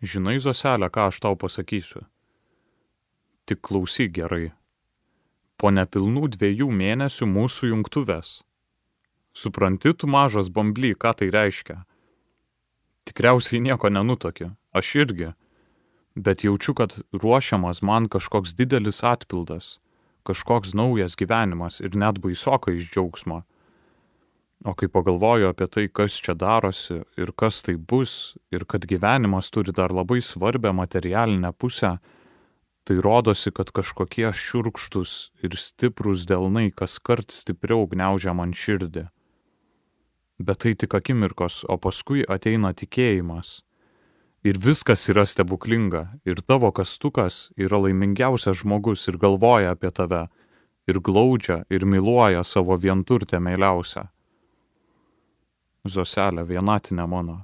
Žinai, Zoselė, ką aš tau pasakysiu? Tik klausyk gerai. Po nepilnų 2 mėnesių mūsų jungtuvės. Supranti, tu mažas bambly, ką tai reiškia? Tikriausiai nieko nenutuoki, aš irgi. Bet jaučiu, kad ruošiamas man kažkoks didelis atpildas, kažkoks naujas gyvenimas ir net baisoka iš džiaugsmo. O kai pagalvoju apie tai, kas čia darosi ir kas tai bus, ir kad gyvenimas turi dar labai svarbią materialinę pusę, tai rodosi, kad kažkokie šiurkštus ir stiprus delnai kaskart stipriau gniaužia man širdį. Bet tai tik akimirkos, o paskui ateina tikėjimas. Ir viskas yra stebuklinga, ir tavo kastukas yra laimingiausias žmogus ir galvoja apie tave, ir glaudžia, ir myluoja savo vienturtę meiliausią. Zoselė, vienatinė mano.